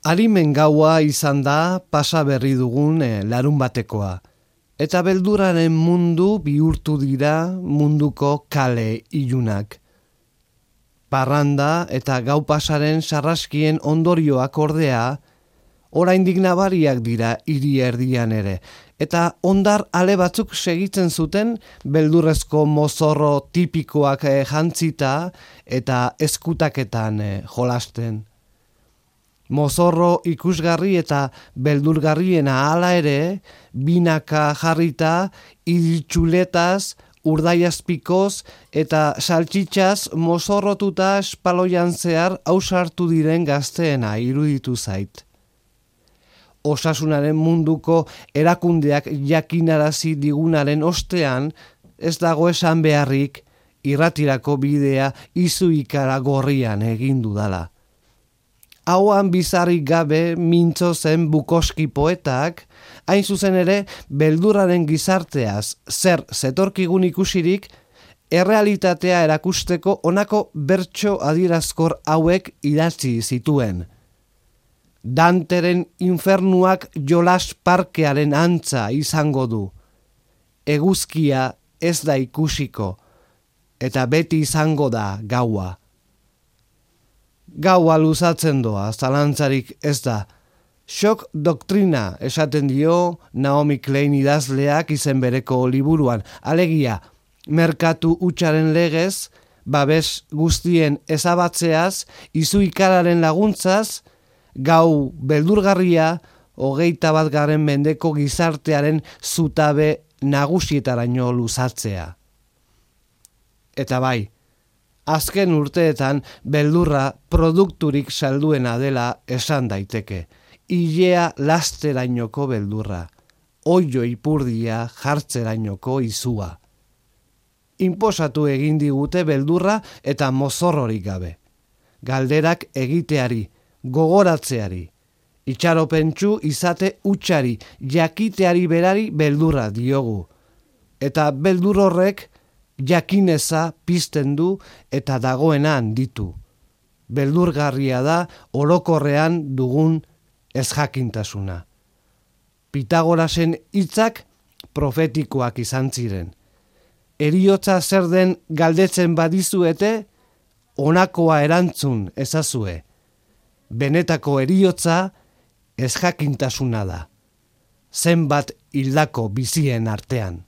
Arimen gaua izan da pasa berri dugun larun batekoa. Eta beldurraren mundu bihurtu dira munduko kale ilunak. Parranda eta gau pasaren sarraskien ondorioak ordea, oraindik nabariak dira hiri erdian ere. Eta ondar ale batzuk segitzen zuten beldurrezko mozorro tipikoak jantzita eta eskutaketan jolasten. Mozorro ikusgarri eta beldurgarriena hala ere, binaka jarrita, iditxuletaz, urdaiazpikoz eta saltxitxaz mozorrotuta espaloian zehar ausartu diren gazteena iruditu zait. Osasunaren munduko erakundeak jakinarazi digunaren ostean, ez dago esan beharrik irratirako bidea izuikara gorrian egin dudala. Hauan bizarrik gabe mintzo zen Bukowski poetak, hain zuzen ere beldurraren gizarteaz zer zetorkigun ikusirik, errealitatea erakusteko honako bertso adierazkor hauek idatzi zituen. Danteren infernuak jolas parkearen antza izango du. Eguzkia ez da ikusiko, eta beti izango da gaua. Gaua luzatzen doa, zalantzarik ez da. Shock doktrina esaten dio Naomi Klein idazleak izen bereko liburuan. Alegia, merkatu hutsaren legez, babes guztien ezabatzeaz, izuikararen laguntzaz, gau beldurgarria 21. mendeko gizartearen zutabe nagusietaraino luzatzea. Eta bai, azken urteetan beldurra produkturik salduena dela esan daiteke. Ilea lasterainoko beldurra, oio ipurdia jartzerainoko izua. Inposatu egin digute beldurra eta mozorrorik gabe. Galderak egiteari, gogoratzeari, itxaropentsu izate hutsari, jakiteari berari beldurra diogu. Eta beldur horrek jakineza pizten du eta dagoena handitu. Beldurgarria da orokorrean dugun ezjakintasuna. Pitagorasen hitzak profetikoak izan ziren. Heriotza zer den galdetzen badizuete, honakoa erantzun ezazue. Benetako heriotza ezjakintasuna da. Zenbat hildako bizien artean.